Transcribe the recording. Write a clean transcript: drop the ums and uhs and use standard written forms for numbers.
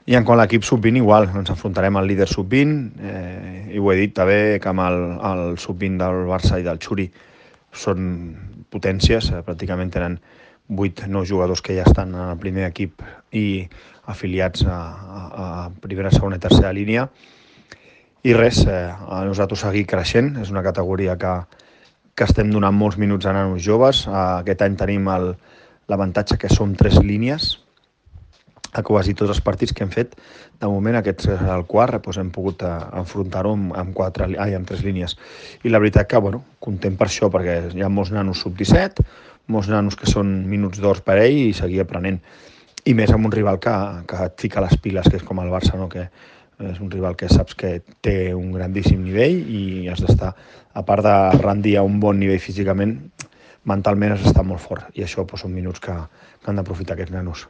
I en quant a l'equip sub-20 igual, ens enfrontarem al líder sub-20 i ho he dit també que amb el sub-20 del Barça i del Xuri són potències, pràcticament tenen 8-9 jugadors que ja estan en el primer equip i afiliats a primera, segona i tercera línia. I res, a nosaltres seguir creixent, és una categoria que estem donant molts minuts a nanos joves. Aquest any tenim l'avantatge que som 3 línies, a quasi tots els partits que hem fet. De moment, aquest és el quart, doncs hem pogut enfrontar-ho amb 3 línies. I la veritat que, content per això, perquè hi ha molts nanos sub-17, molts nanos que són minuts d'or per ell i seguir aprenent. I més amb un rival que et fica les piles, que és com el Barça, no? Que és un rival que saps que té un grandíssim nivell i has d'estar, a part de rendir a un bon nivell físicament, mentalment has d'estar molt fort. I això són minuts que han d'aprofitar aquests nanos.